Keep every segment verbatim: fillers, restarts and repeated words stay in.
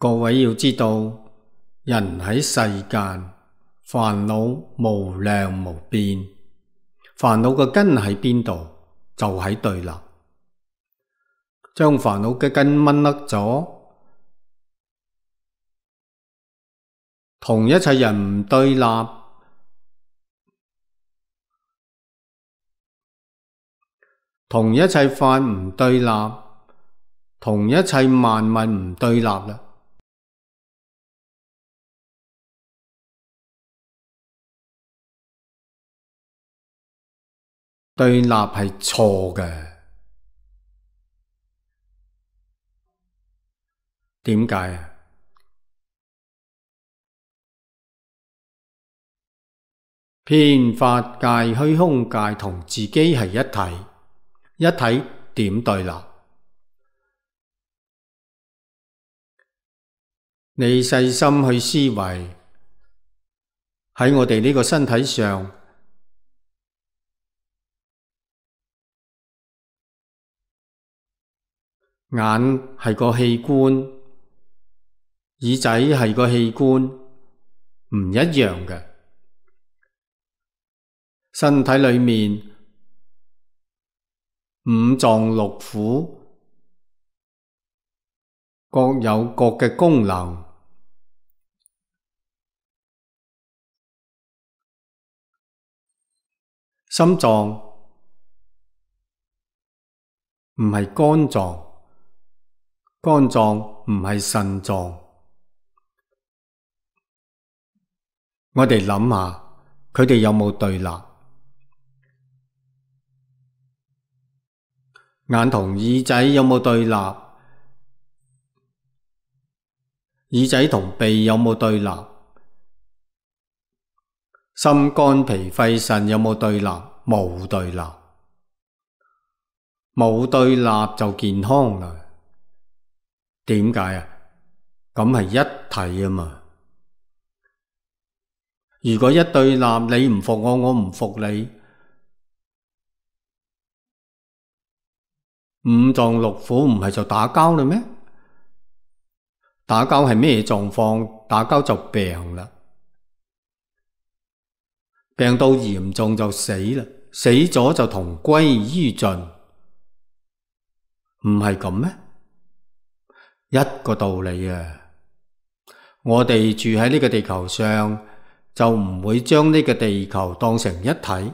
各位要知道，人喺世間，煩惱無量無邊，煩惱嘅根喺邊度？就喺對立。將煩惱嘅根掹甩咗，同一切人唔對立，同一切法唔對立，同一切萬物唔對立啦。對立係錯嘅。點解啊？遍法界、虛空界同自己係一體，一體點對立？你細心去思維，喺我哋呢個身體上，眼係個器官，耳仔係個器官，唔一樣嘅。身體裏面五臟六腑各有各嘅功能。心臟唔係肝臟，肝臟唔係腎臟。我哋諗下，佢哋有冇對立？眼同耳仔有冇對立？耳仔同鼻有冇對立？心肝脾肺腎有冇對立？冇對立。冇對立就健康啦。點解啊？咁係一體啊嘛。如果一對立，你唔服我，我唔服你，五臟六腑唔係就打交啦咩？打交係咩狀況？打交就病啦，病到嚴重就死啦，死咗就同歸於盡，唔係咁咩？一個道理啊！我哋住喺呢個地球上，就唔會將呢個地球當成一體。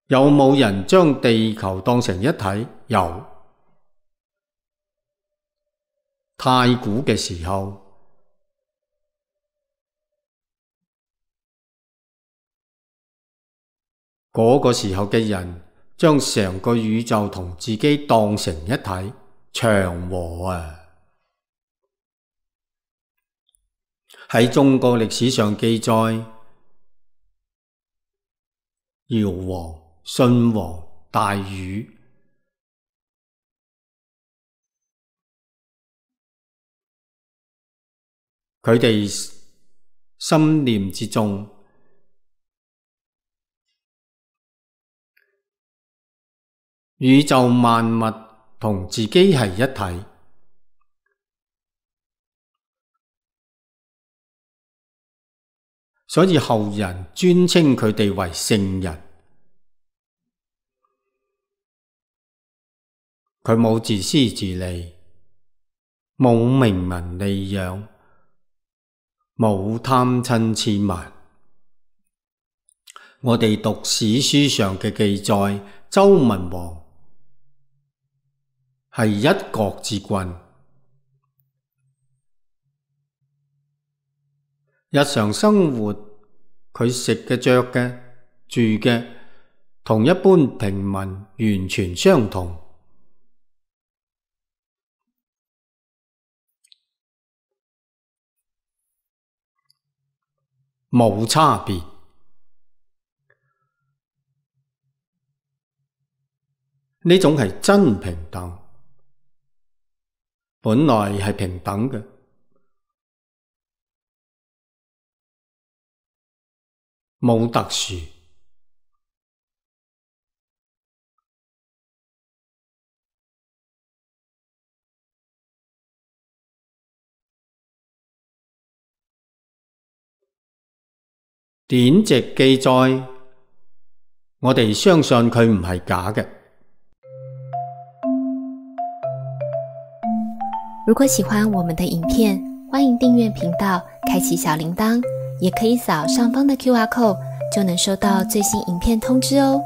有冇人將地球當成一體？有。太古嘅時候，嗰個時候嘅人將成個宇宙同自己當成一體，祥和啊！喺中國歷史上記載，堯王、舜王、大禹，佢哋心念之中，宇宙萬物同自己係一體，所以後人尊稱佢哋為聖人。佢冇自私自利，冇名聞利養，冇貪嗔癡慢。我哋讀史書上嘅記載，周文王係一國之君，日常生活佢食嘅、着嘅、住嘅，同一般平民完全相同。冇差別，呢種係真平等，本來係平等嘅，冇特殊。典籍記載，我哋相信佢唔係假嘅。如果喜歡我們的影片，歡迎訂閱頻道，開啟小鈴鐺，也可以掃上方的 Q R code，就能收到最新影片通知哦。